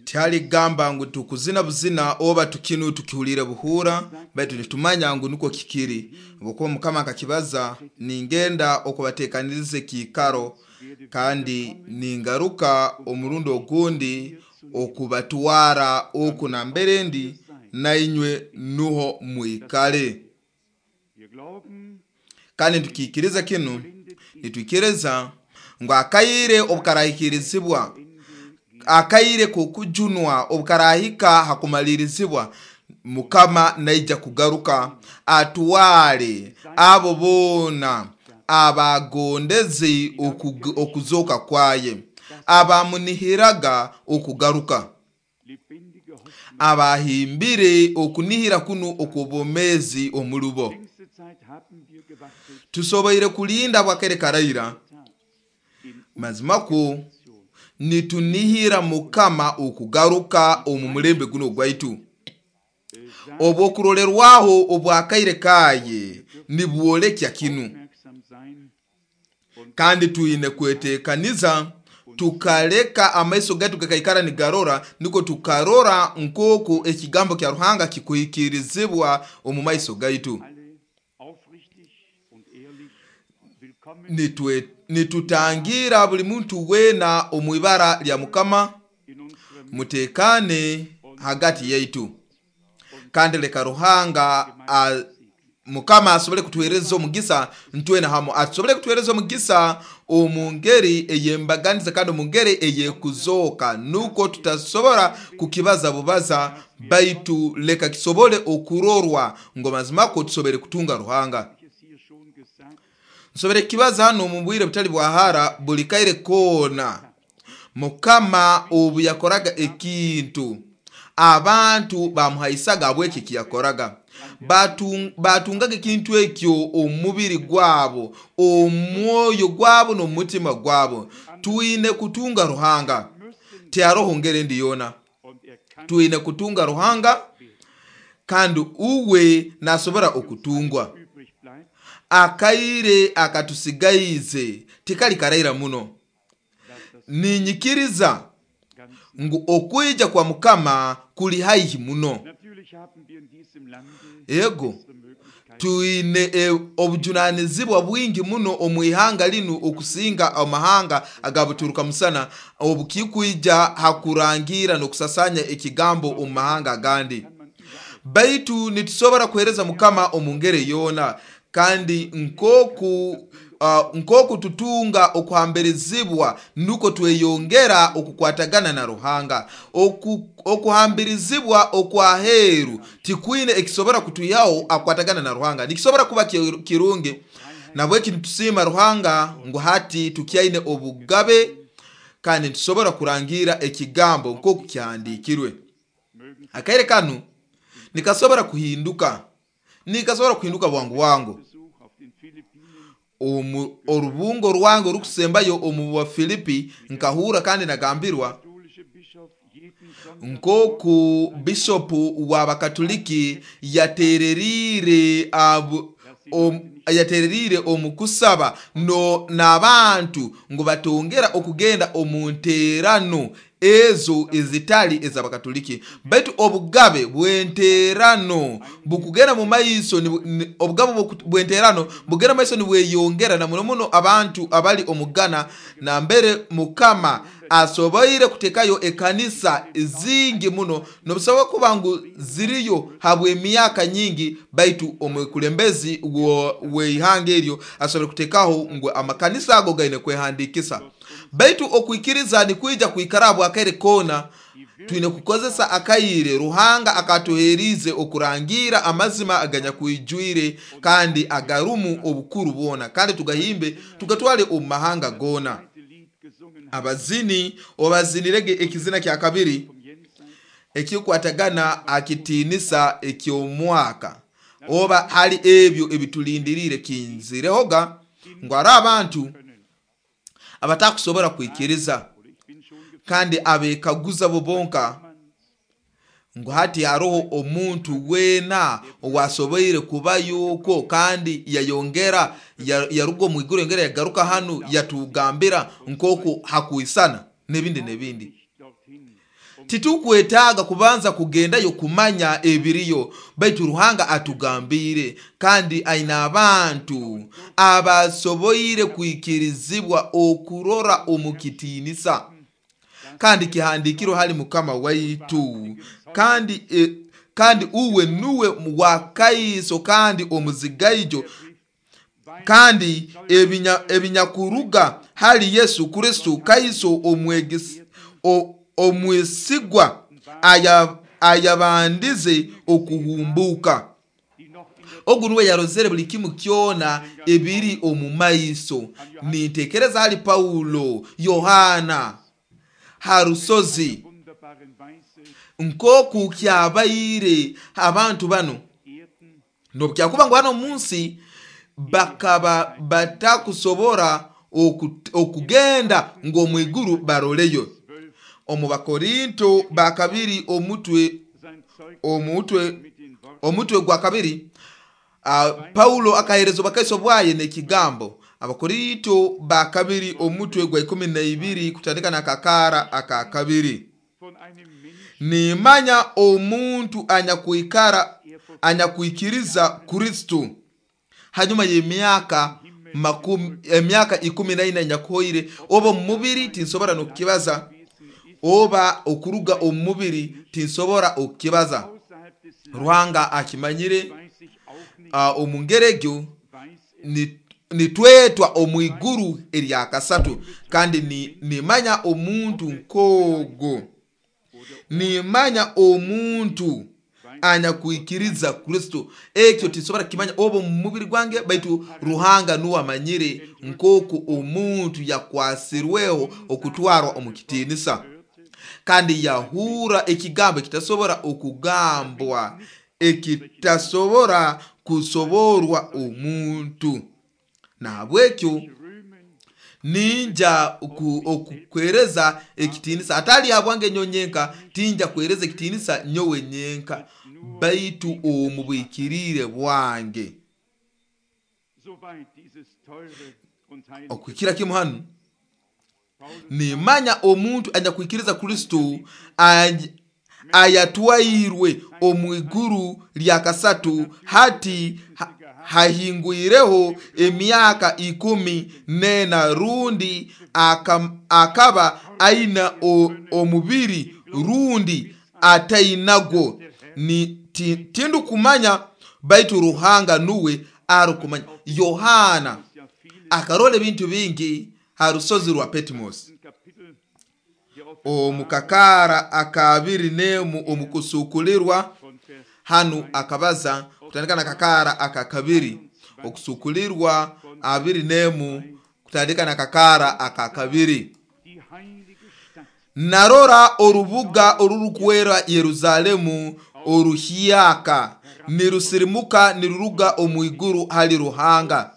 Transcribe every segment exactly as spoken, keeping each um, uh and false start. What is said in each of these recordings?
Tihali kugamba ngu tukuzina buzina oba tukinu tukihulire buhura, baitu nitumanya ngu nukwo kikiri. Habwokuba Mukama akakibaza, ningenda okubateekaniriza ekiikaro, kandi ningaruka omurundi ogundi okubatwara oku nambere ndi, nainywe nuho mwikale. Kandi nitukiikiriza kinu, nitwikiriza ngu akaire obukarahikirizibwa, akaire k'okujunwa obukarahika hakumalirizibwa, Mukama naija kugaruka atwale abo boona abagondeze okuzooka kwaye, abamunihiraga okugaruka, abahimbire okunihira kunu okw'obwomeezi omulubo. Tusoboire kulinda bwakere karaira, mazimakwo nitunihira Mukama okugaruka omu mulembe guno ogwaitu. Obwokurolerwaho obwakaire kaye nibwolekya kinu, kandi twine kwetekaniza tukaleka amaiso gaitu gakaikara nigarora, nukwo tukarora nk'oku ekigambo kya Ruhanga kikuhikirizibwa omu maiso gaitu. Nitwe nitutangira buli muntu weena omu ibara lya Mukama, mutekane hagati yaitu, kandi leka Ruhanga a, Mukama asobole kutuhereza omugisa ntwena hamu, asobole kutuhereza omugisa omu ngeri ey'embaganiza kandi omu ngeri ey'ekuzooka, nukwo tutasobora kukibaza bubaza, baitu leka kisobole okurorwa ngu mazima tusobole kutunga Ruhanga. Nsobole kukibaza hano omu bwire butali bwa hara, buli kaire koona Mukama obu yakoraga ekintu abantu bamuhaisaga habw'eki ekiyakoraga, batungaga ekintu ekyo omu mubiri gwabo, omwoyo gwabo n'omutima gwabo. Twine kutunga Ruhanga, tiharoho ngeri endi yoona. Twine kutunga Ruhanga, kandi uwe nasobora okutungwa. Akaire akatusigaize tikali karaira muno. Ninyikiriza ngu okwija kwa Mukama kuli haihi muno. Ego, twine e, obujunanizibwa bwingi muno omu ihanga linu okusinga amahanga agabuturuka musana, obukikwija hakurangira n'okusasanya ekigambo omu mahanga agandi. Baitu nitusobora kuhereza Mukama omu ngeri yoona, kandi nkoku Uh, nkoku tutunga okuhambirizibwa nuko tweyongera okukwatagana na Ruhanga. Oku, okuhambirizibwa okwaheru tikwine ekisobora kutwihaho akwatagana na Ruhanga. Nikisobora kuba kirungi, nabweki nitusiima Ruhanga ngu hati tukyaine obugabe kandi nitusobora kurangira ekigambo nkoku kyahandiikirwe. Akaire kanu nikasobora kuhinduka, nikasobora kuhinduka bwangu bwangu. Omu orubungo rwange orukusembayo omu wa Filipi nkahura kandi nagambirwa nkoku bishopu w'abakatoliki yatererire abu om, yatererire omu kusaba no n'abantu ngu batongera okugenda omu nterano ezo ezitali ez'abakatoliki. Baitu obugabe bw'enterano bukugenda mu maiso, obugabe bw'enterano bugenda mu maiso nibweyongera, na muno muno abantu abali omu Ghana, nambere Mukama asoboire kutekayo ekanisa zingi muno, nobusobola kuba ngu ziriyo habw'emyaka nyingi, baitu omukulembezi w'eihanga eryo asobole kutekaho ngu amakanisa ago gaine kwehandikisa. Baitu okwikiriza nikwija kwikara bwakaire koona. Twine kukozesa akaire Ruhanga akatuherize okurangira amazima aganyakwijwire kandi agarumu obukuru bwona, kandi tugahimbe tugatwale omu mahanga goona. Abazini obazinirege ekizina kya kabiri ekikwatagana akitinisa eky'omwaka, oba hali ebyo ebitulindirire kinzirehoga ngu ari abantu abatakusobora kwikiriza kandi abekaguza bo bonka Ngu hati haroho omuntu weena owasoboire kubayoko kandi yayongera yaruga omu iguru yongera yagaruka hanu yatugambira nk'oku hakwisana n'ebindi n'ebindi. Titukwetaaga kubanza kugendayo kumanya ebiriyo, baitu Ruhanga atugambire, kandi aina abantu abasoboire kwikirizibwa okurora omu kitiinisa kandi kihandikirwe hali Mukama waitu, kandi e, kandi uwe nuwe wakaiso kandi omuzigaijo, kandi ebinya, ebinyakuruga hali Yesu Kristo kaiso omwegesi omwesigwa ayabandize okuhumbuka. Ogu nuwe yarozere buli kimu kyona ebiri omu maiso. Nintekereza hali Paulo, Yohana harusozi nkoku kyabaire abantu bano nobukyakuba ngu hano munsi bakaba batakusobora okugenda ngo mwiguru baroleyo. Omu Bakorinto bakabiri omutwe omutwe omutwe gwa kabiri, uh, Paulo akahereza bakaiso bwaye n'ekigambo. Abakorinto bakabiri omutwe gwa ikumi na ibiri kutandika na kakara akakabiri. Nimanya omuntu anyakuikara anyakuikiriza Kristo hanyuma y'emyaka makumi emyaka ikumi na ina nyakuhoire, oba omubiri tinsobora nokukibaza, oba okuruga omubiri tinsobora okukibaza. Ruhanga akimanyire. Uh, omungeregyo nitwetwa omwiguru eryakasatu, kandi nimanya omuntu nkogo, nimanya omuntu anyakuikiriza Kristo. Ekyo tinsobora kimanya oba omubiri gwange, baitu Ruhanga nuwe amanyire nkoku omuntu yakwasirweho okutwarwa omu kitiinisa, kandi yahura ekigambo ekitasobora okugambwa, ekitasobora kusoborwa omuntu. Nahabwekyo ninja okukwereza ekitiinisa atali habwange nyonyenka, tinja kwereza ekitiinisa nyowe nyenka, baitu omu bwikirire bwange. Okwikira kimu hanu, nimanya omuntu anyakuikiriza Kristo ayatwairwe omu iguru lya kasatu, hati ha, hahingwireho emyaka ikumi nena, rundi akaba aina omubiri rundi atainagwo, ni tindu kumanya, baitu Ruhanga nuwe arukumanya. Yohana akarola ebintu bingi ha rusozi rwa Patmos. Omukakara akabiri nemu omukusukulirwa hanu akabaza kutandika na kakara akakabiri, okusukulirwa abiri nemu kutandika na kakara akakabiri. Narora orubuga orurukwera Yerusalemu oruhyaka nirusirimuka niruruga omwiguru hali Ruhanga,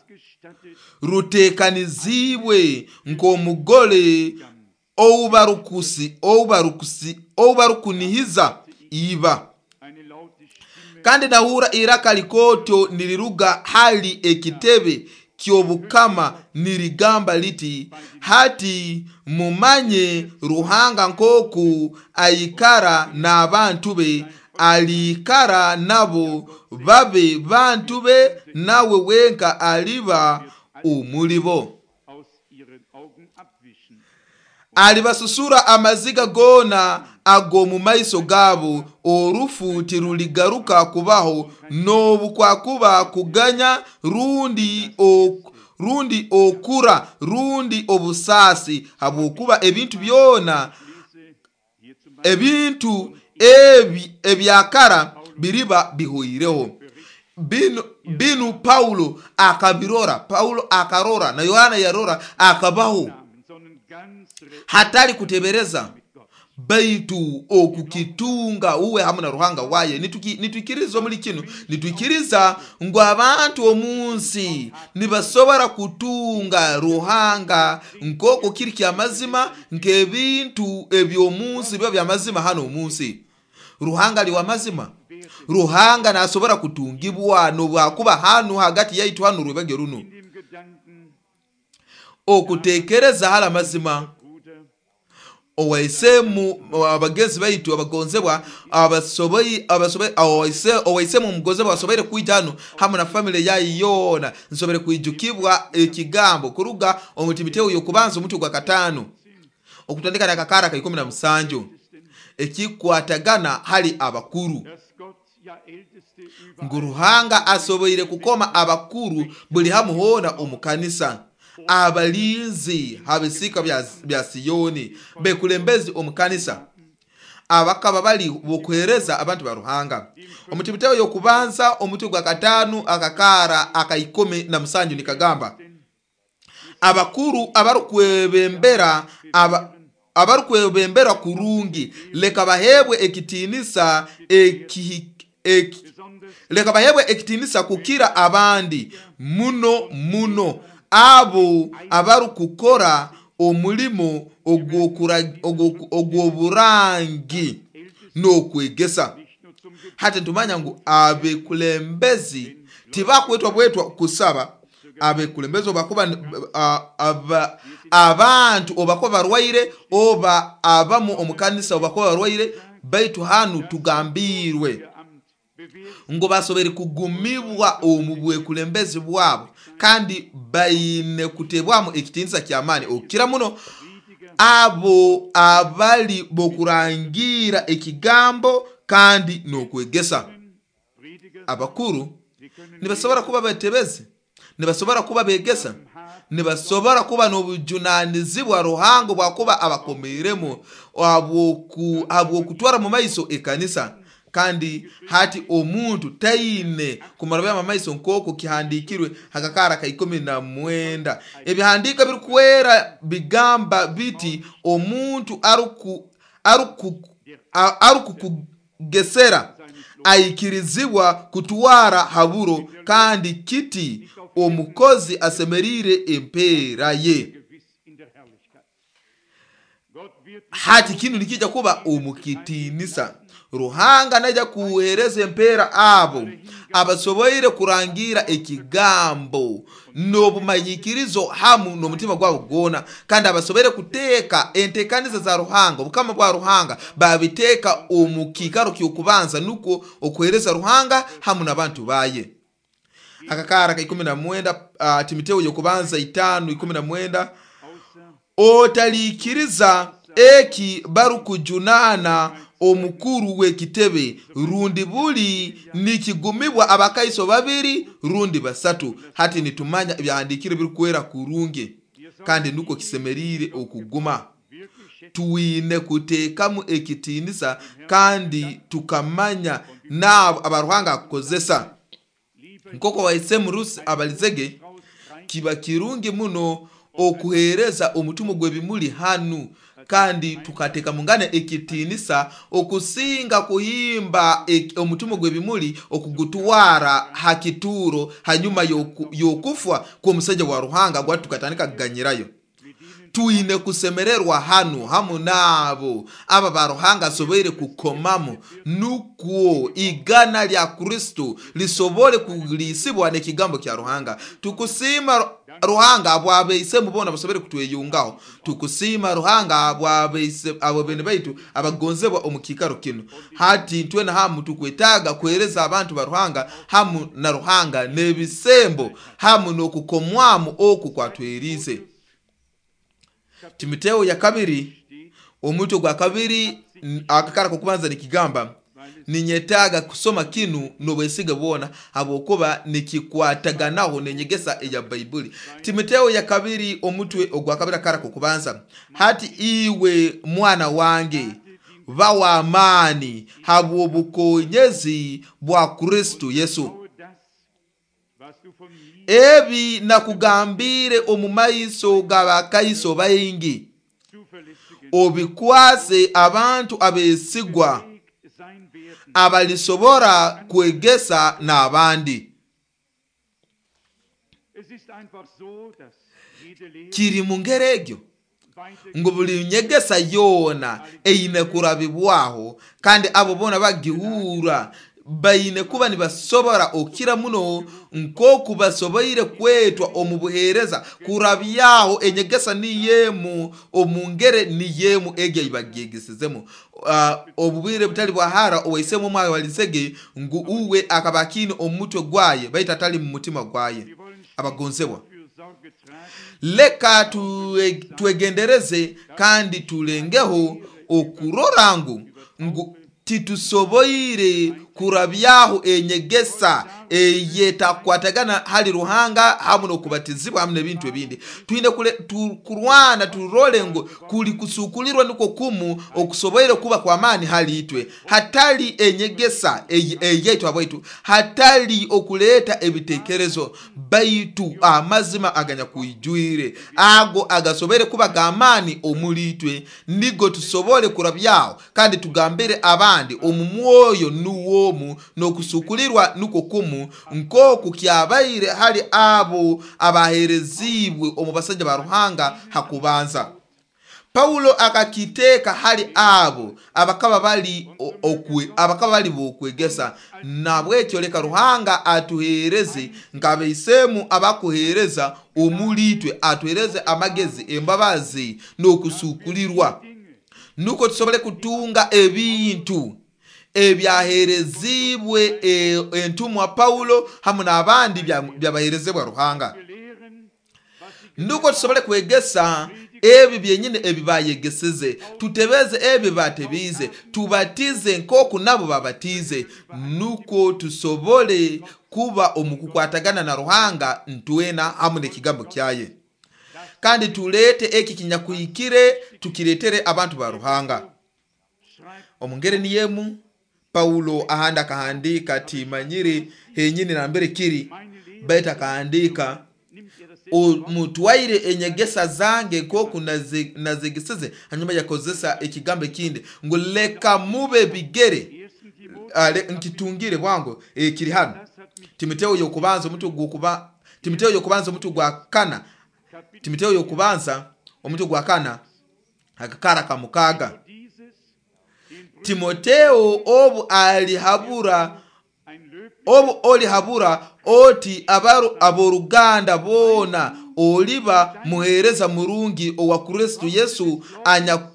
rutekanizibwe nk'omugole oubarukusi oubarukusi oubarukunihiza iba. Kandi nahura iraka likoto niliruga hali ekitebe ky'obukama nirigamba liti, hati mumanye Ruhanga nkoku aikara n'abantu be, alikara nabo babe bantu be, nawe wenka aliba omulibo. Alibasusura amaziga gona ago mu maiso gabo, orufu tiruligaruka kubaho, n'obukwakuba kuganya rundi ok, rundi okura rundi obusasi, habwokuba ebintu byona ebintu ebi ebyakara biriba bihoireho. Binu, binu Paulo akabirora, Paulo akarora na Yohana yarora, akabaho hatari kutebereza, baitu okukitunga uwe hamwe na Ruhanga waye. Nitwikiriza omuli kinu, nitwikiriza ngu abantu omunsi nibasobora kutunga Ruhanga nk'oko kiri kyamazima, nk'ebintu eby'omunsi biba byamazima hano omunsi. Ruhanga ali w'amazima. Ruhanga nasobora kutungibwa nobwakuba hanu hagati yaitu hanu rwebage runo. In dem Gedanken, Okutekereza hala mazima Bruder, owaisemu abagenzi baitu abagonzebwa abasoboi abasoboi owaise owaisemu omugonzebwa asoboire kwija hano hamu na family yayi yoona. Nsobere kwijukibwa ekigambo kuruga omu Timoteo y'okubanza omutwe gwa kataano okutandika nakakara ka ikumi na musanju ekikwatagana hali abakuru, dass Gott ja Älteste überall ngu Ruhanga asoboire kukoma abakuru buli hamu hoona omu kanisa, abalinzi habisika bya, bya Siyoni, bekulembezi omu kanisa abakaba bali bokuhereza abantu ba Ruhanga. Omu Timoteo y'okubanza omutwe gwa kataano akakara aka ikumi na musanju nikagamba abakuru abarukwebembera aba abarukwebembera kurungi leka bahebwe ekitinisa eki, eki, besonders leka bahebwe ekitinisa kukira abandi muno muno abo abarukukora omulimo ogw'okura- ogw'oku- ogw'oburangi n'okwegesa. nicht nur zum Gebet, Hati ntumanya ngu abekulembezi tibakwetwa bwetwa kusaba. Abekulembezi obakuba a- aba- abantu obakuba barwaire oba abamu omu kanisa obakuba barwaire, baitu hanu tugambirwe ihr Amt bewährt ngo basobere kugumibwa omu bwekulembezi bwabo kandi baine kutebwamu ekitinisa ky'amaani okukira muno Prediger abo abali bokurangira ekigambo kandi n'okwegesa. Prediger, Abakuru sie können nibasobora kuba batebezi, nibasobora kuba begesa, nibasobora kuba n'obujunanizibwa Ruhanga bwakuba abakomeiremu habw'oku- habw'okutwara mu maiso ekanisa. Kandi hati omuntu taine kumarabya mu maiso nk'oku kihandikirwe hakakara ka ikumi na mwenda. Ebihandiko birikwera bigamba biti omuntu aruku aruku a- arukukugesera aikirizibwa kutwara haburo, kandi kiti omukozi asemerire empeera ye. gewiss in der Herrlichkeit. Gott wird Hati kinu nikija kuba omukitinisa. Ruhanga naija kuhereza empeera abo abasoboire kurangira ekigambo n'obumanyikirizo hamu n'omutima gwabo gwona, kandi abasoboire kuteeka entekaniza za Ruhanga, obukama bwa Ruhanga babiteeka omu kiikaro ky'okubanza, nukwo okuhereza Ruhanga hamu n'abantu baye. Akakara ka ikumi na mwenda uh, Timoteo y'okubanza itaano ikumi na mwenda außer otaliikiriza eki barukujunana omukuru w'ekitebe rundi buli nikigumibwa abakaiso babiri rundi basatu. Hati nitumanya ebyahandikire birikwera kurungi kandi nuko kisemerire okuguma. wirklich schätzen Twine kuteekamu ekitinisa kandi tukamanya n'abo abaruhanga akukozesa liebe nk'oku waisemu Rusi abalizege. Strauß rein Kiba kirungi muno okuhereza omutumo gw'ebimuli hanu kandi tukateeka mungane ekitinisa okusinga kuhimba ek- omutumo gw'ebimuli okugutwara ha kituuro hanyuma y'oku- y'okufa kw'omusajja wa Ruhanga gwati tukatandika kuganyirayo. Twine kusemererwa hanu hamu n'abo aba ba Ruhanga asoboire kukomamu nukwo igana lya Kristo lisobole kulisibwa n'ekigambo kya Ruhanga. Tukusiima Ruhanga abwabeisemu bona basobole kutweyungaho. Tukusiima Ruhanga abwabeise abo bene baitu abagonzebwa omu kiikaro kinu. Hati ntwena hamu tukwetaaga kuhereza abantu ba Ruhanga hamu na Ruhanga n'ebisembo hamu n'okukomwamu oku kwatwerize. Timoteo ya kabiri omutwe gwa kabiri n- akakara kokubanza nikigamba ninyetaaga kusoma kinu n'obwesige bwona habwokuba nikikwataganaho n'enyegesa eya Baibuli. Timoteo ya kabiri omutwe ogwa kabiri akara kokubanza, hati iwe mwana wange ba w'amaani habw'obukonyezi bwa Kristo Yesu. Tue das, was du von mir Ebi nakugambire omu maiso g'abakaiso baingi, zuverlässigen obikwase abantu abeesigwa Weg sein werden. abalisobora kwegesa n'abandi. Es ist einfach so, dass jede Lehre Kiri mu ngeri egyo Ngu buli nyegesa yoona eine kurabibwaho, kandi abo boona bagihura baine kuba nibasobora okira muno nk'oku basoboire kwetwa omu buheereza kurabyaho enyegesa niyemu omu ngere niyemu egi ei bagyegesezemu. Uh, obubwire butali bwahara owaisemu omwaka walizege ngu uwe akaba akiine omu mutwe gwaye baitu atali mu mutima gwaye. Wir wollen Abagonzebwa, für Sorge tragen, leka tue- twegendereze kandi tulengeho okurora ngu ngu titusoboire kurabyaho enyegesa eyetakwatagana hali Ruhanga hamu n'okubatizibwa hamu n'ebintu ebindi. Twine kule- tu- kurwana turole ngu kuli kusukulirwa niko kumu okusoboire kuba kwa maani hali itwe, hatali enyegesa ey- eyaitu abwaitu, hatali okuleeta ebitekerezo, baitu amazima aganyakwijwire ago agasoboire kuba g'amaani omuli itwe, nigo tusobole kurabyaho kandi tugambire abandi omu mwoyo nuwomu n'okusukulirwa nuko kumu nk'oku kyabaire hali abo abaheerezibwe omu basajja ba Ruhanga hakubanza. Paulo akakiteeka hali abo abakaba bali o- okwe, abakaba bali bokwegesa. Nabwekyo leka Ruhanga atuheereze nk'abaisemu abakuheereza omuli itwe, atuheereze amagezi, embabazi n'okusukulirwa, nuko tusobole kutunga ebintu ebyaherezibwe e- entumwa Paulo hamu n'abandi bya- byabaherezebwa Ruhanga, belehren, was sie nuko tusobole kwegesa ebi byenyine ebi bayegeseze, tutebeze ebi batebize, tubatize nk'oku nabo babatize, nuko tusobole kuba omu kukwatagana na Ruhanga ntwena hamu n'ekigambo kyaye, kandi tuleete eki kinyakuhikire tukireetere abantu ba Ruhanga. Schreibt Omu ngeri niyemu Paulo ahandi akahandika, timanyire henyini nambere kiri, baitu akahandika, nimmt er das selbe mutwaire enyegesa zange nk'oku naze- nazegeseze. Hanyuma yakozesa ekigambo ekindi ngu leka mube bigere. Ersten Timotheus, Ale, nkitungire bwangu, e, kiri hano. Das hat mich Timoteo yokubanza omutwe gwokuba Timoteo yokubanza omutwe gwa kana, Kapitel Timoteo yokubanza omutwe gwa kana akakara kamukaga. Dieses den Brüdern Timoteo obu alihabura ein löblicher obu olihabura oti abaru aboruganda boona oliba muheereza murungi owa Kristo Yesu anya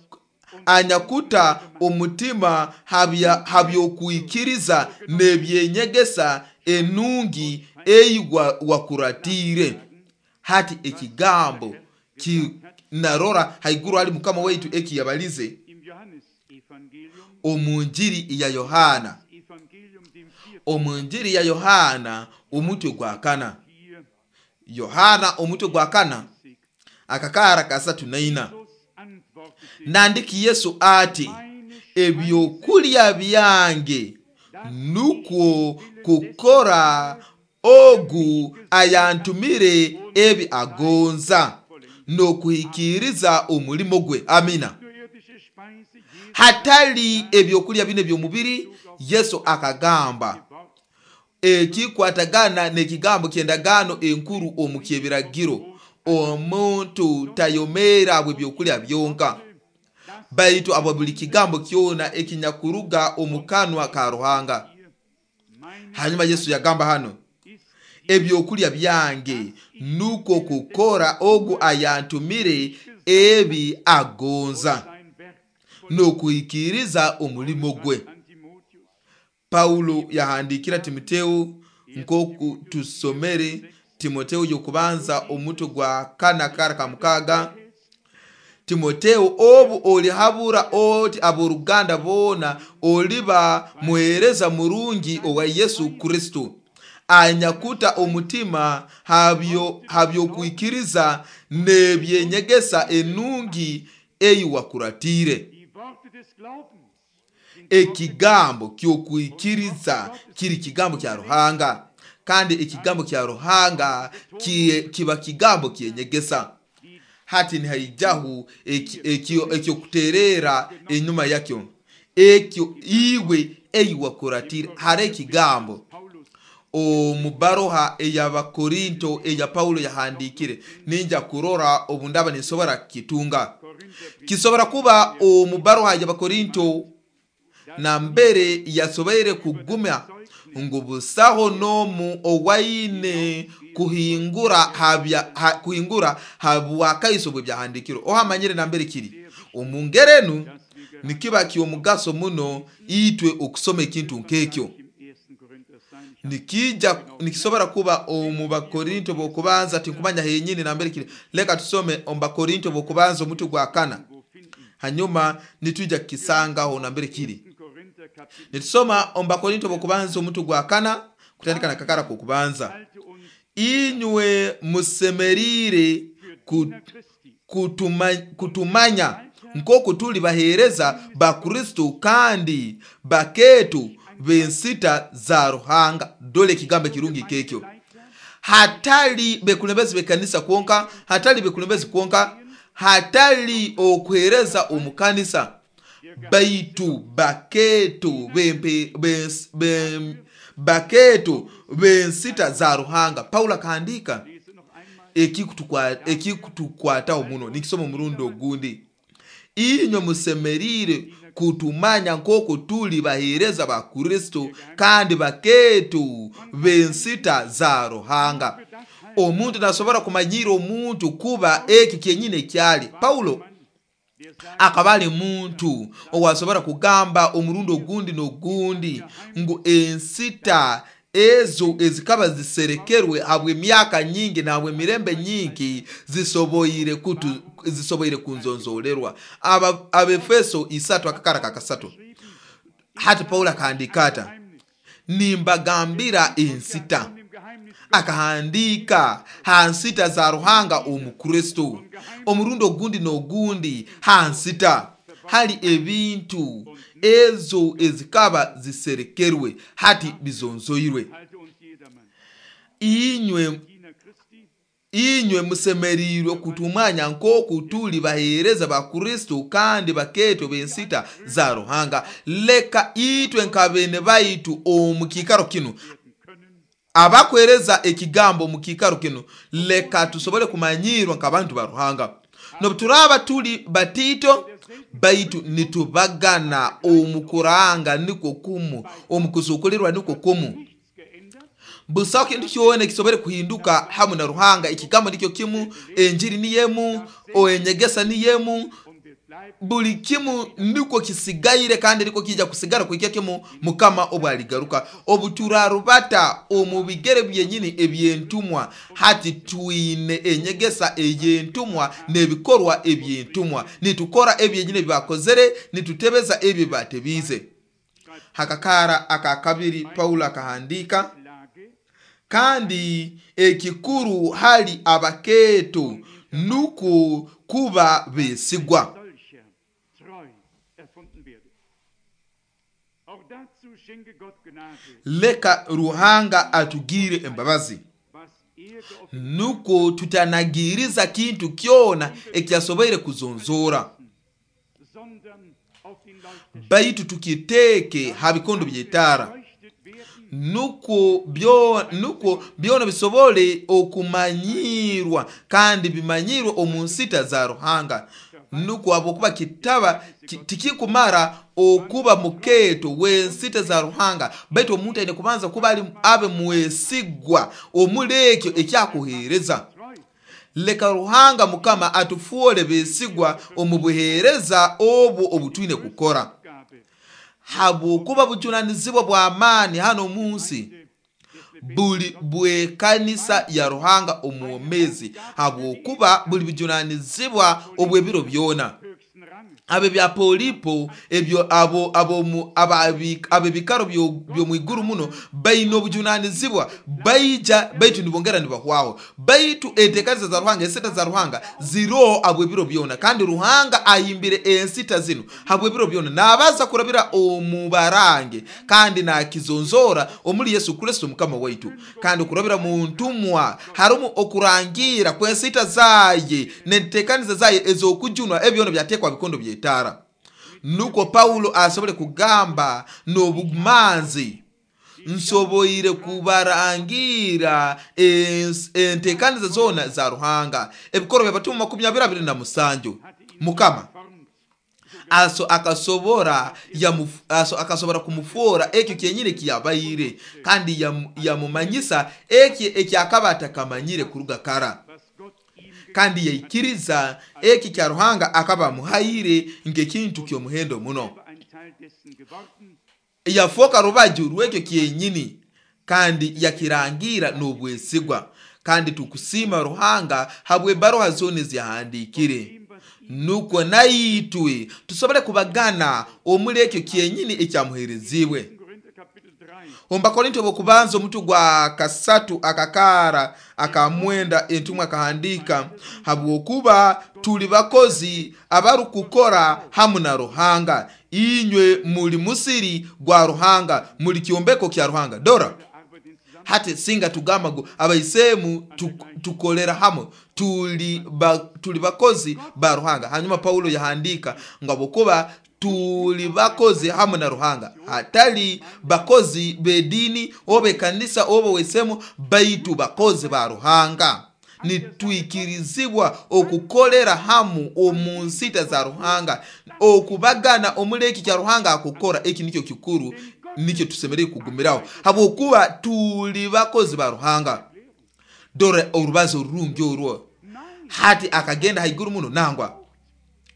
anyakuta omutima habya habyokwikiriza n'ebyenyegesa enungi ei wa- wakuratiire. Hati ekigambo ki narora haiguru hali mukama waitu eki yabalize im Johannesevangelium, omu njiri ya Yohana, Evangelium dem vierten omu njiri ya Yohana omutwe gwa kana, vier Yohana omutwe gwa kana akakara kasatu naina. Jesus antwortete, Nandiki Yesu ati, meine ebyokulya byange nukwo kukora ogu ayantumire ebi agonza n'okuhikiriza omulimo gwe. Amina. nur irdische Speise, jeder Hatali ebyokulya bino ebyomubiri, Yesu akagamba Wort ekikwatagana n'ekigambo ky'endagaano enkuru omu kyebiragiro, omuntu tayomeera bwe byokulya byonka, baitu abwa buli kigambo kyona ekinyakuruga omu kanwa ka Ruhanga. Meine Hanyuma Yesu yagamba hano, ist ebyokulya byange nuko kukora ogu ayantumire ebi agonza sein Werk n'okuhikiriza omulimo gwe. an Timotheus. Paulo yahandikira Timoteo nk'oku tusomere Timoteo yokubanza omutwe gwa kana kara kamukaga. Timoteo obu olihabura oti aboruganda boona oliba muheereza murungi owa Yesu Kristo anyakuta omutima habyo habyokwikiriza n'ebyenyegesa enungi ei wakuratiire. Die Worte des Glaubens sind Ekigambo ky'okwikiriza kiri kigambo kya Ruhanga, kandi ekigambo kya Ruhanga kie- kiba kigambo kyenyegesa. Hati nihaijahu ekyokuterera enyuma yakyo ekyo iwe ei wakuratire. Hari ekigambo Paulus omu baroha ey'Abakorinto eya Paulo yahandikire, ninja kurora obu ndaba ninsobora kukitunga. Korinther Kisobora kuba omu baruha y'Abakorinto nambere yasoboire kugumya ngu busaho n'omu owaine kuhingura habya ha, kuhingura habwakaiso bw'ebyahandiikirwe. Ohamanyire nambere kiri omu ngeri enu nikiba ky'omugaso muno itwe okusoma ekintu nk'ekyo. Nikija nikisobora kuba omu Bakorinto b'okubanza, tinkumanya henyini nambere kiri. Leka tusome omu Bakorinto b'okubanza omuti gwa kana, hanyuma nitwija kukisangaho nambere kiri. Nitusoma omu Bakorinto b'okubanza omuti gwa kana kutandika na kakara k'okubanza. Inywe musemerire kutuma, kutumanya nk'oku tuli baheereza ba Kristo kandi bakeetu b'ensita za Ruhanga. Dole ekigambo ekirungi kekyo. Hatali bekulembezi b'ekanisa kwonka, hatali bekulembezi kwonka, hatali okuheereza omu kanisa, baitu bakeetu bempe bens, bem, bakeetu b'ensita za Ruhanga. Paulo akahandika ekikutukwataho muno. Nikisoma omurundi ogundi. Inywe musemerire kutumanya nk'oku tuli baheereza ba Kristo kandi bakeetu b'ensita za Ruhanga. Omuntu nasobora kumanyira omuntu kuba ekyo kyenyine ekyali. Paulo akaba ali muntu owasobora kugamba omurundi ogundi n'ogundi ngu ensita ezo ezikaba ziserekerwe habw'emyaka nyingi na habw'emirembe nyingi zisoboire kutu zisoboire kunzonzolerwa. Aba Abefeso isatu akakara kakasatu. Hati Paulo akahandika ata, nimbagambira ensita. Akahandika ha nsita za Ruhanga omu Kristo. Omurundi ogundi n'ogundi ha nsita hali ebintu ezo ezikaba ziserekerwe hati bizonzoirwe. Inywe inywe musemerirwe kutumanya nk'oku tuli baheereza ba Kristo kandi bakeeto b'ensita za Ruhanga. Leka itwe nka bene baitu omu kiikaro kinu, abakwereza ekigambo mu kiikaro kinu, leka tusobole kumanyirwa nk'abantu ba Ruhanga. Nobu turaba tuli batito, baitu nitubagana omu kuranga niko kumu, omu kuzukulirwa niko kumu. Busaho kintu kyona ekisobole kuhinduka hamu na Ruhanga. Ekigambo nikyo kimu, enjiri niyemu, enyegesa niyemu, buli kimu niko kisigaire kandi niko kija kusigara kuhikya kimu Mukama obwaligaruka. Obuturarubata omu bigere byenyini ebyentumwa, hati twine enyegesa eyentumwa n'ebikorwa ebyentumwa. Nitukora ebyenyini ebibakozere, nitutebeza ebyo batebize. Hakakara aka kabiri Paulo akahandika, kandi ekikuru hali abakeeto nuko kuba besigwa. Leka Ruhanga atugire embabazi nuko tutanagiriza kintu kyona ekyasoboire kuzonzora, baitu tukiteeke ha bikondo by'etaara nuko byo nuko byona bisobole okumanyirwa kandi bimanyirwe omu nsita za Ruhanga. Nuko abokuba kitaba tikikumara okuba mukeeto w'ensita za Ruhanga, baitu omuntu aine kubanza kuba ali abe mwesigwa omuli ekyo ekyakuheereza. Leka Ruhanga Mukama atufuole besigwa omu buheereza obwo obutwine kukora, habwokuba bujunanizibwa bw'amaani hano omu nsi buli bw'ekanisa ya Ruhanga omwomezi, habwokuba buli bujunanizibwa obw'ebiro byona. Abe bya Polipo ebyo abo abo mu ab'ebikaro by'omwiguru muno baine obujunanizibwa, baija baitu nibongera nibahwaho, baitu enteekaniza za Ruhanga, ensita za Ruhanga ziroho habw'ebiro byona, kandi Ruhanga ahimbire ensita zinu habw'ebiro byona, nabaza kurabira omu barange kandi nakizonzora omuli Yesu Kristo Mukama waitu, kandi kurabira mu ntumwa harimu okurangira kw'ensita zaye n'enteekaniza zaye ez'okujunwa, ebyona byatekwa bikondo by'etaara. Nuko Paulo asobole kugamba n'obumanzi, nsoboire kubarangira enteekaniza zona za Ruhanga. Ebikorwa by'Abatumwa makumi abiri abiri na musanju. Mukama aso akasobora yamu, aso akasobora kumufora ekyo kyenyine kiyabaire, kandi yamumanyisa eki ekyakaba atakamanyire kuruga kara, kandi yaikiriza eki kya Ruhanga akaba amuhaire nk'ekintu ky'omuhendo muno. Yafoka rubaju rw'ekyo kyenyini kandi yakirangira n'obwesigwa. Kandi tukusima Ruhanga habw'ebaruha zona eziyahandiikire, nukwo naitwe tusobole kubagana omuli ekyo kyenyini ekyamuheerezibwe. Omu Bakorinto b'okubanza omutu gwa kasatu akakara akamwenda entumwa akahandika, habwokuba tuli bakozi abarukukora hamu na Ruhanga, inywe muli musiri gwa Ruhanga, muli kyombeko kya Ruhanga. Dora hati singa tugamba ngu abaisemu tukolera hamu, tuli ba, tuli bakozi ba Ruhanga. Hanyuma Paulo yahandika ngo habwokuba tuli bakozi hamu na Ruhanga, hatali bakozi b'edini oba ekanisa oba wesemu, baitu bakozi ba Ruhanga. Nitwikirizibwa okukolera hamu omu nsita za Ruhanga, okubagana omuli eki kya Ruhanga akukora. Eki nikyo kikuru, nikyo tusemereire kugumiraho, habwokuba tuli bakozi ba Ruhanga. Dora orubazo orurungi orwo. Hati akagenda haiguru muno nangwa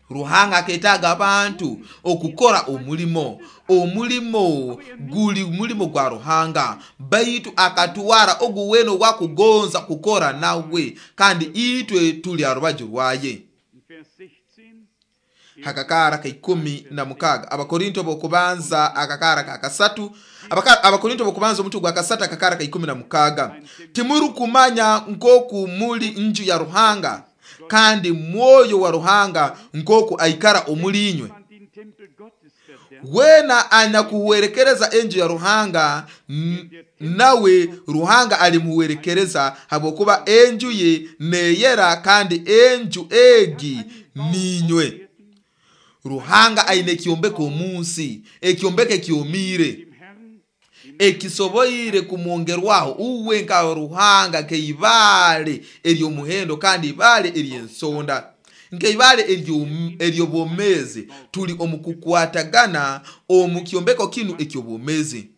Ruhanga aketaaga abantu okukora omulimo. Omulimo guli mulimo gwa Ruhanga, baitu akatwara ogu weno wakugonza kukora nawe, kandi itwe tuli arubaju rwaye. Hakakara ka ikumi na mukaga Abakorinto b'okubanza akakara ka kasatu, Abakorinto b'okubanza omutu gwa kasatu akakara ka ikumi na mukaga, timurukumanya nkoku muli nju ya Ruhanga, kandi mwoyo wa Ruhanga nkoku aikara omuli inywe. Wena anyakuwerekereza enju ya Ruhanga, nawe Ruhanga alimuwerekereza, habwokuba enju ye neyera, kandi enju egi ninywe. Ruhanga aine ekyombeko omunsi, ekyombeko ekyomiire, ekisoboire kumwongerwaho uwe nka Ruhanga, nk'eibaale ery'omuhendo kandi ibaale ery'ensonda, nk'eibaale ery'obwomeezi. Tuli omu kukwatagana omu kyombeko kinu eky'obwomeezi.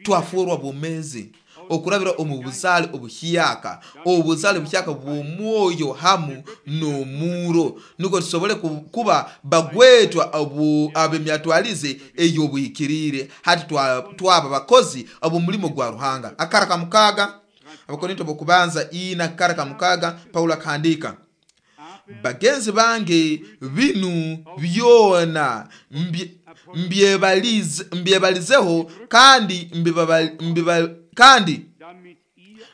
Twafurwa bwomeezi okurabira omu buzaale obuhyaka, obuzaale buhyaka bw'omwoyo hamu n'omuro, nukwo tusobole kuba bagwetwa ab'emyatwalize ey'obuhikiriire. Hati twaba bakozi ab'omulimo gwa Ruhanga. Akara ka mukaga, Abakorinto b'okubanza ina akara ka mukaga, Paulo akahandika, bagenzi bange binu byona mbyebalizeho kandi mbiba kandi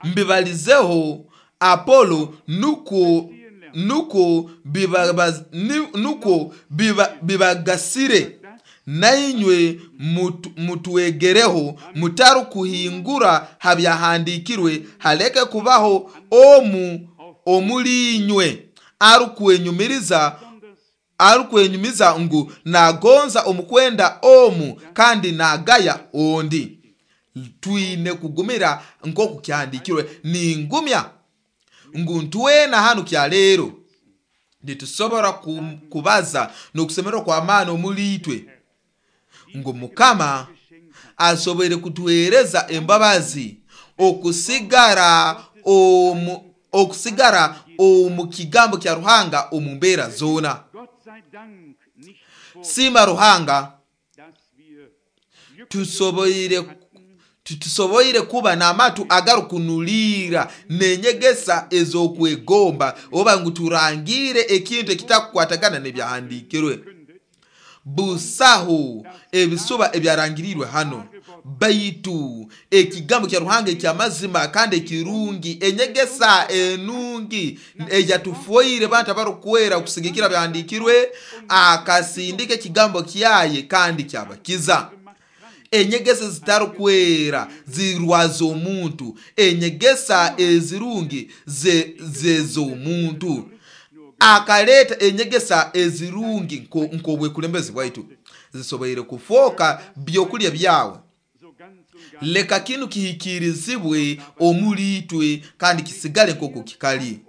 mbibalizeho Apolo, nuko nuko biba nuko bibagasire, nainywe mutwegereho mutarukuhingura habyahandikirwe, haleke kubaho omu omulinywe arukwenyumiriza arukwenyumiza ngu nagonza omukwenda omu kandi nagaya ondi. Twine kugumira nkoku kyahandikirwe. Ningumya ngu ntwena hanu kya leero nitusobora kubaza n'okusemererwa kw'amaani omuli itwe ngu Mukama asoboire kutuhereza embabazi okusigara omu okusigara omu kigambo kya Ruhanga omu mbeera zoona. Sima Ruhanga tusoboire tusoboire kuba n'amatu agarukunulira n'enyegesa ez'okwegomba, oba ngu turangire ekintu ekitakukwatagana n'ebyahandiikirwe. Busaho ebisuba ebyarangirirwe hano, baitu ekigambo kya Ruhanga ekyamazima kandi ekirungi, enyegesa enungi eyatufoire bantu abarukwera kusigikira byahandiikirwe, akasindika ekigambo kyaye kandi kyabakiza. Enyegesa zitarukwera zirwaza omuntu, enyegesa ezirungi zez'omuntu. Akaleta enyegesa ezirungi nk'obwekulembezi bwaitu zisoboire kufoka byokulya byawe. Leka kinu kihikirizibwe omuli itwe kandi kisigale nk'oku kikali,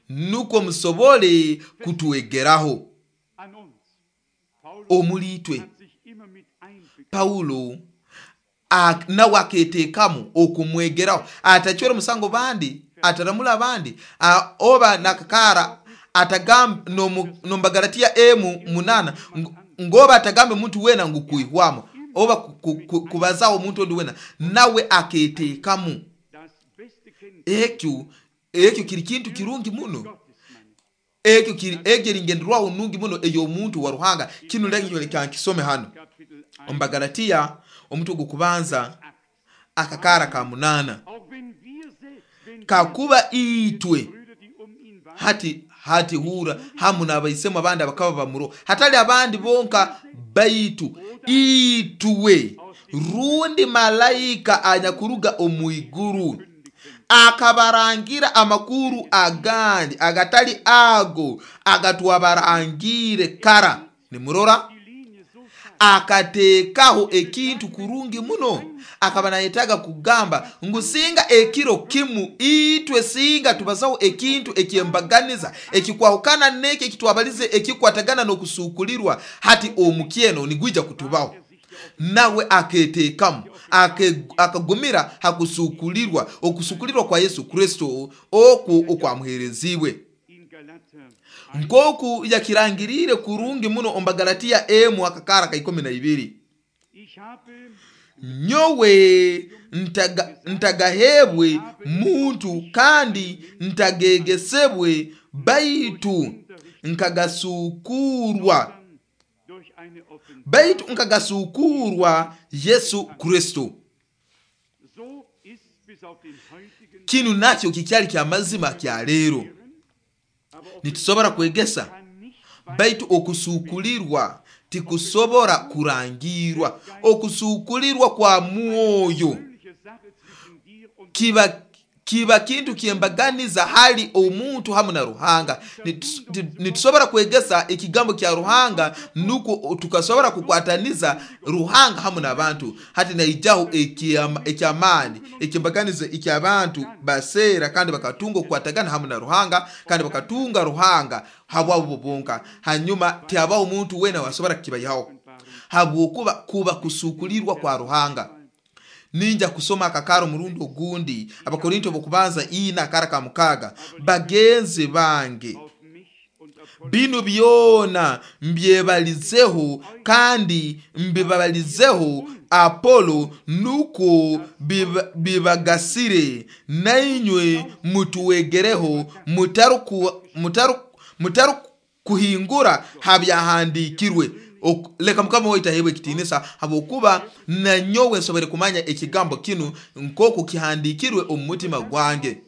nukwo musobole kutwegeraho. Omuli itwe Paulo nawe aketeekamu okumwegeraho, atacwera omusango bandi, ataramula abandi, oba nakakaara atagamba n'omu Bagalatiya emu munana ngoba atagambe muntu wena ngu kuihwamu oba kubazaho omuntu ondi wena, nawe aketeekamu. Ekyo ekyo kiri kintu kirungi muno, ekyo kiri egyo eringenderwaho nungi muno ey'omuntu wa Ruhanga. Kinu leka nkisome hano omu Bagalatiya omutwe gw'okubanza akakaara ka munana. Kakuba itwe hati hati hura hamu n'abaisemu abandi abakaba bamuro, hatali abandi bonka, baitu itwe rundi malayika anyakuruga omu iguru akabarangira amakuru agandi agatali ago agatwabarangire kara. Nimurora akateekaho ekintu kurungi muno, akaba nayetaga kugamba ngu singa ekiro kimu itwe singa tubazaho ekintu ekyembaganiza ekikwahukana n'eki ekitwabalize ekikwatagana n'okusukulirwa, hati omukyeno nigwija kutubaho. Nawe aketeekamu akagumira hakusukulirwa, okusukulirwa kwa Yesu Kristo oku okwamuheerezibwe nkoku yakirangirire kurungi muno omu Bagalatiya emu akakaara ka ikumi na ibiri. Nyowe ntaga, ntagahebwe muntu kandi ntagegesebwe, baitu nkagasukurwa baitu nkagasukurwa Yesu Kristo. Kinu nakyo kikyali kya mazima kya leero. Nitusobora kwegesa, baitu okusukulirwa tikusobora kurangirwa. Okusukulirwa kwa mwoyo kiba kiba kintu kyembaganiza hali omuntu hamu na Ruhanga. Nitusobora kwegesa ekigambo kya Ruhanga nuko tukasobora kukwataniza Ruhanga hamu n'abantu. Hati naijaho ekyamaani ekyembaganiza eky'abantu baseera kandi bakatunga okukwatagana hamu na Ruhanga, kandi bakatunga Ruhanga habwabo bonka. Hanyuma tihabaho omuntu wena wasobora kukibayihaho, habwokuba kuba kusukulirwa kwa Ruhanga. Ninja kusoma akakaro murundi ogundi, Abakorinto bokubanza ina akara ka mukaga. Bagenzi bange, binu byona mbyebalizeho kandi mbibabalizeho Apolo, nuko bibagasire, nainywe mutuwegereho, mutaru kuhingura habyahandikirwe. Leka Mukama waitu ahebwe ekitiinisa, habwokuba nanyowe nsobore kumanya ekigambo kinu nk'oku kihandikirwe omu mutima gwange,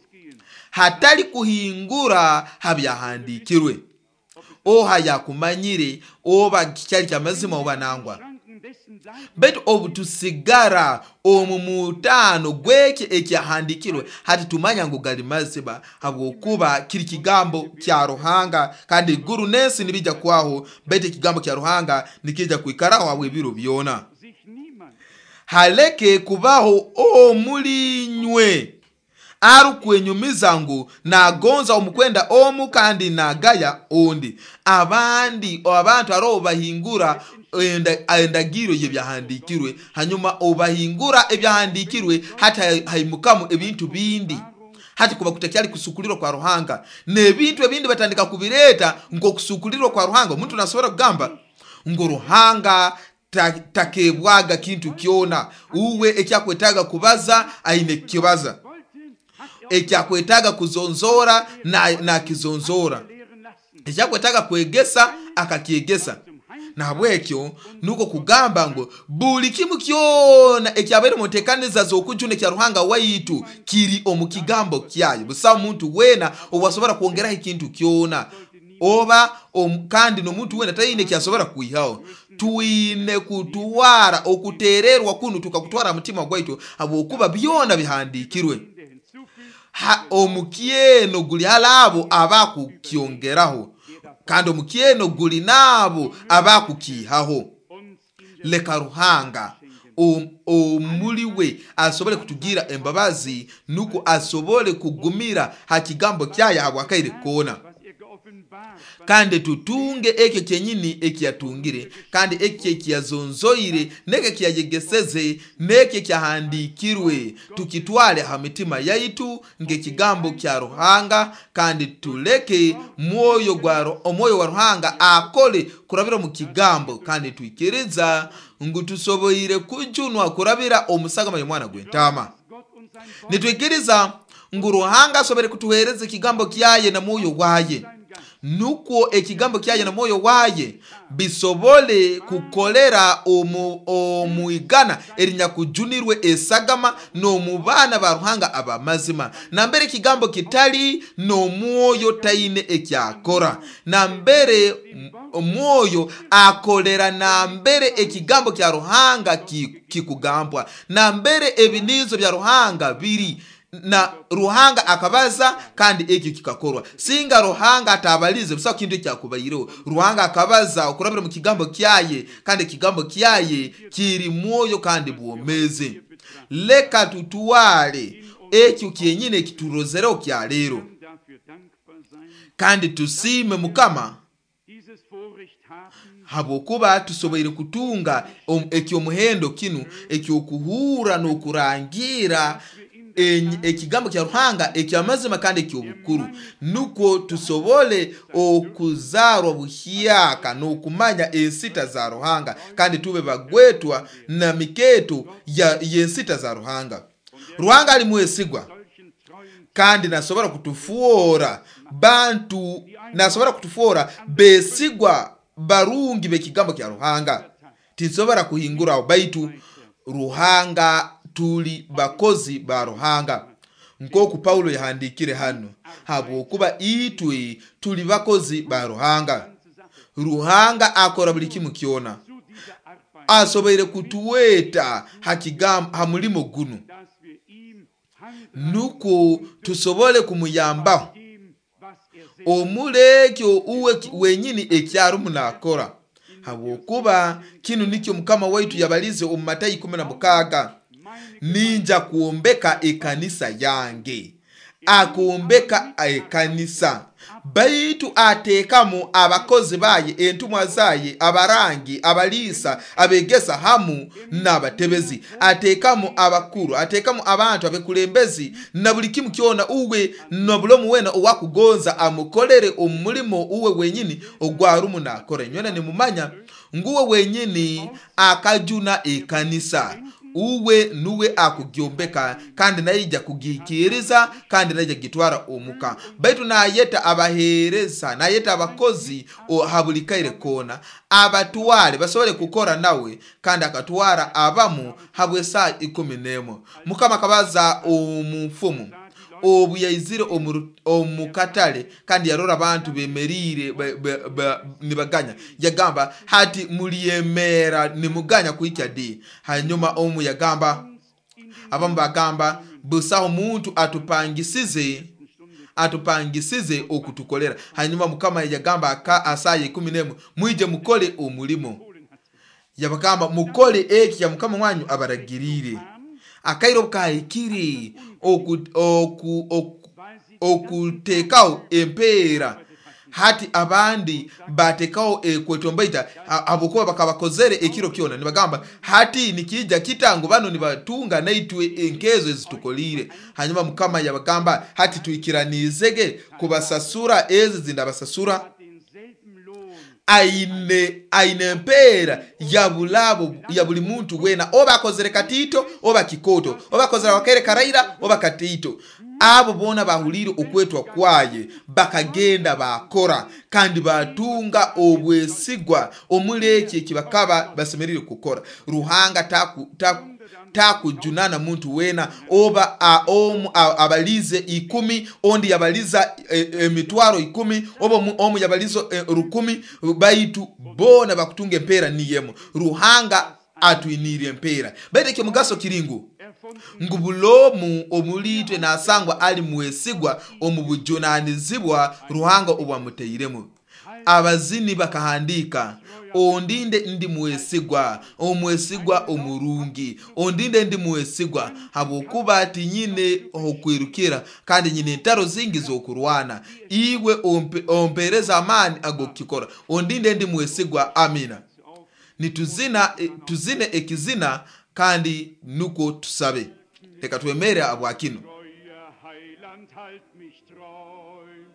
hatali kuhingura habyahandikirwe. Oha yakumanyire oba kikyali kyamazima oba nangwa. Baitu obu tusigara omu mutaano gweki ekyahandikirwe, hati tumanya ngu gali mazima, habwokuba kiri kigambo kya Ruhanga, kandi iguru n'ensi nibijja kwaho, baitu ekigambo kya Ruhanga nikijja kwikaraho habw'ebiro byona. Haleke kubaho omulinywe arukwenyumiza ngu nagonza omukwenda omu kandi nagaya ondi. Abandi abantu aroho bahingura endagiro y'ebyahandikirwe, hanyuma obahingura ebyahandikirwe hati haimukamu ebintu bindi. Hati kuba kutakyali kusukulirwa kwa Ruhanga, n'ebintu ebindi batandika kubireeta nk'okusukulirwa kwa Ruhanga. Omuntu nasobora kugamba ngu Ruhanga takebwaga kintu kyona, uwe ekyakwetaaga kubaza aine kukibaza, ekyakwetaaga kuzonzora nakizonzora, ekyakwetaaga kwegesa akakyegesa. Nahabwekyo nuko kugamba ngu buli kimu kyona ekyabaire mu nteekaniza z'okujuna ekya Ruhanga waitu kiri omu kigambo kyayo. Busaho muntu wena owasobora kwongeraho ekintu kyona oba om, kandi n'omuntu wena taine ekyasobora kwihaho. Twine kutwara okutererwa kunu tukakutwara mutima gwaitu, habwokuba byona bihandikirwe. Omukyeno guli hali abo abakukyongeraho, kandi omukyeno guli n'abo abakukiihaho. Leka Ruhanga omuli we asobole kutugira embabazi, nuko asobole kugumira ha kigambo kyayo habwakaire koona. Kandi tutunge ekyo kyenyini ekiyatungire, kandi ekyo ekiyazonzoire, n'ekyo ekiyayegeseze, n'ekyo ekyahandiikirwe, tukitwale ha mitima yaitu ng'ekigambo kya Ruhanga, kandi tuleke mwoyo gwa omwoyo wa Ruhanga akole kurabira mu kigambo, kandi twikiriza ngu tusoboire kujunwa kurabira omusagama y'omwana gw'entaama. Nitwikiriza ngu Ruhanga asobore kutuhereza ekigambo kyaye na mwoyo waye, nukwo ekigambo kyaye na mwoyo waye bisobole kukolera omu omuigana erinyakujunirwe esagama n'omu baana ba Ruhanga abamazima. Nambere ekigambo kitali n'omwoyo taine ekyakora, nambere omwoyo akolera nambere ekigambo kya Ruhanga kikugambwa, nambere ebinizo bya Ruhanga biri, na Ruhanga akabaza kandi ekyo kikakorwa. Singa Ruhanga atabalize, busaho kintu ekyakubaireho. Ruhanga akabaza okurabira mu kigambo kyaye, kandi ekigambo kyaye kiri mwoyo kandi bwomeze. Leka tutwale ekyo kyenyine ekiturozereho kya leero, kandi tusiime Mukama habwokuba tusoboire kutunga ekyomuhendo kinu ekyokuhura n'okurangira ekigambo kya Ruhanga ekyamazima kandi ekyobukuru, nukwo tusobole okuzarwa buhyaka n'okumanya ensita za Ruhanga, kandi tube bagwetwa na miketo y'ensita za Ruhanga. Ruhanga ali mwesigwa kandi nasobora kutufuora bantu, nasobora kutufuora besigwa barungi b'ekigambo kya Ruhanga. Tinsobora kuhinguraho, baitu Ruhanga tuli bakozi ba Ruhanga, nk'oku Paulo yahandikire hano, habwokuba itwe tuli bakozi ba Ruhanga. Ruhanga akora buli kimu kyona, asoboire kutuweta ha mulimo guno nukwo tusobole kumuyambaho omulekyo uwe wenyini ekyarumu nakora, habwokuba kinu nikyo Mukama waitu yabalize omu Matayo ikumi na mukaaga, ninja kwombeka ekanisa yange. Akombeka ekanisa, baitu ateekamu abakozi baye, entumwa zaye, abarangi, abaliisa, abegesa hamu n'abatebezi. Ateekamu abakuru, ateekamu abantu abekulembezi na buli kimu kyona, uwe na buli omu wena owakugonza amukolere omulimo uwe wenyini ogwarumu nakora. Nywena nimumanya nguwe wenyini akajuna ekanisa, uwe nuwe akugyombeka, kandi naija kugikiriza, kandi naija gitwara omuka. Baitu nayeta abahereza, nayeta abakozi habuli kaire kona abatwale basobole kukora nawe, kandi akatwara abamu habw'esaa ikumi n'emu. Mukama akabaza omufumu obu yaizire omu katale, kandi yarora abantu bemerire nibaganya, yagamba hati mulyemera nimuganya kuhikya di? Hanyuma omu yagamba, abamu bagamba, busaho muntu atupangisize atupangisize okutukolera. Hanyuma Mukama yagamba asaye ikumi n'emu, mwije mukole omulimo. Yabagamba mukole eki ya Mukama wanyu abaragirire. Akairo kahikiri okuteekaho empeera. Hati abandi batekaho ekwetombaita habwokuba bakabakozere ekiro kyona, nibagamba hati nikija kita ngu bano nibatunga naitwe enkezo ezitukolire. Hanyuma Mukama yabagamba hati tuikiranizege kubasasura ezi zindabasasura. Aine aine empeera ya bulabo ya buli muntu wena, oba akozere katito oba kikoto, oba akozere wakere karaira oba katito. Abo bona bahulire okwetwa kwaye bakagenda bakora, kandi batunga obwesigwa omuleki ekibakaba basemerire kukora. Ruhanga taku taku takujunana muntu wena, oba a, omu abalize ikumi, ondi yabaliza emitwaro e, ikumi, oba omu yabaliza e, rukumi, baitu bona bakutunga empeera niyemo. Ruhanga atwinire empeera. Baitu ekyomugaso kiringu ngu bulomu omulitwe nasangwa ali mwesigwa omu bujunanizibwa Ruhanga obwamuteiremu. Abazini bakahandika, ondinde ndi mwesigwa, omwesigwa omurungi, ondinde ndi mwesigwa, habwokuba tinyine okwirukira kandi nyine entaro zingi z'okurwana. Iwe ompe, ompereza amaani ag'okukikora, ondinde ndi mwesigwa. Amina. Nituzina tuzine ekizina kandi nuko tusabe. Leka twemere abwakino. Treuer Heiland, halt mich treu.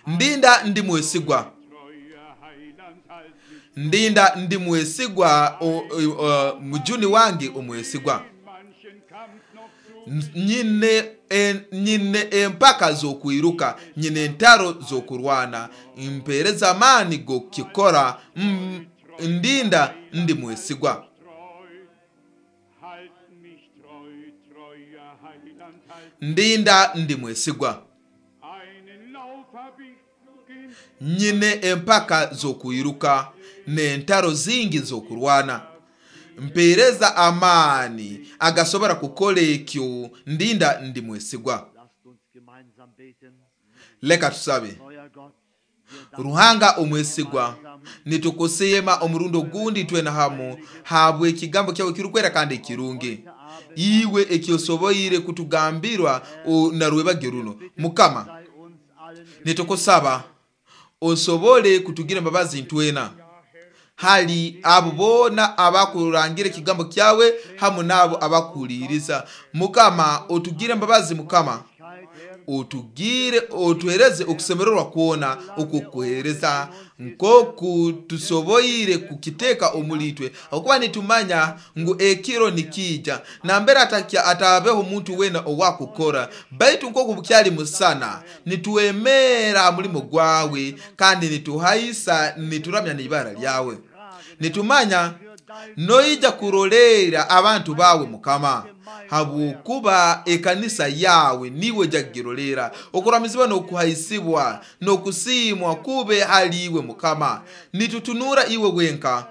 Ndinda ndi mwesigwa, Treuer Heiland, halt mich ndinda ndi mwesigwa, o- o- o- mujuni wange omwesigwa. in manchen Kampf noch zu. Nyine en, nyine empaka z'okwiruka, nyine entaro z'okurwana, mpereza amaani g'okukikora. Mm, ndinda ndi mwesigwa. Treu, halt mich treu, treuer Heiland, halt. Ndinda ndi mwesigwa. Einen Lauf hab ich zu gehen, Nyine empaka z'okwiruka n'entaro zingi z'okurwana, mpereza amaani agasobora kukora ekyo. Ndinda ndi mwesigwa. Lasst uns gemeinsam beten. Leka tusabe. Treuer Gott, wir danken Ruhanga omwesigwa, nitukusiima omurundi ogundi twena hamu habwe ekigambo kyawe kirukwera kandi ekirungi, iwe ekyosoboire kutugambirwa o- na rwebagyo runo. Mukama, sei uns allen nitukusaba osobole kutugira embabazi ntwena hali abo boona abakurangira ekigambo kyawe hamu n'abo abakuhuliriza. Mukama, otugire embabazi. Mukama, otugire otuhereze okusemererwa kwona okukuhereza nkoku tusoboire kukiteeka omuli itwe, okuba nitumanya ngu ekiro nikija nambere atakya atabeho omuntu wena owakukora, baitu nkoku bukyali musana nituwemera mulimo gwawe kandi nituhaisa nituramya n'ibara lyawe. Nitumanya noija kurolera abantu bawe Mukama, habwokuba ekanisa yawe niwe jagirolera. Okuramizibwa n'okuhaisibwa n'okusiimwa kube hali iwe Mukama. Nitutunura iwe wenka.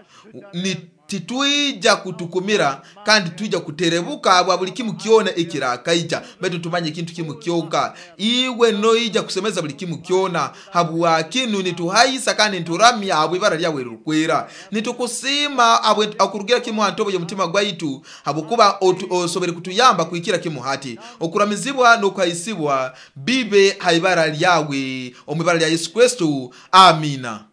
Ni titwija kutukumira kandi twija kuterebuka bwa buli kimu kyona ekirakaija, baitu tumanye ekintu kimu kyonka, iwe noija kusemeza buli kimu kyona. Habwa kinu nituhaisa kandi nituramya habwa ibara lyawe lirukwera. Nitukusiima habwe akurugira kimu ha ntobo y'omutima gwaitu, habwokuba otu- osobere kutuyamba kuhikira kimu hati. Okuramizibwa n'okuhaisibwa bibe ha ibara lyawe, omu ibara lya Yesu Kristo, amina.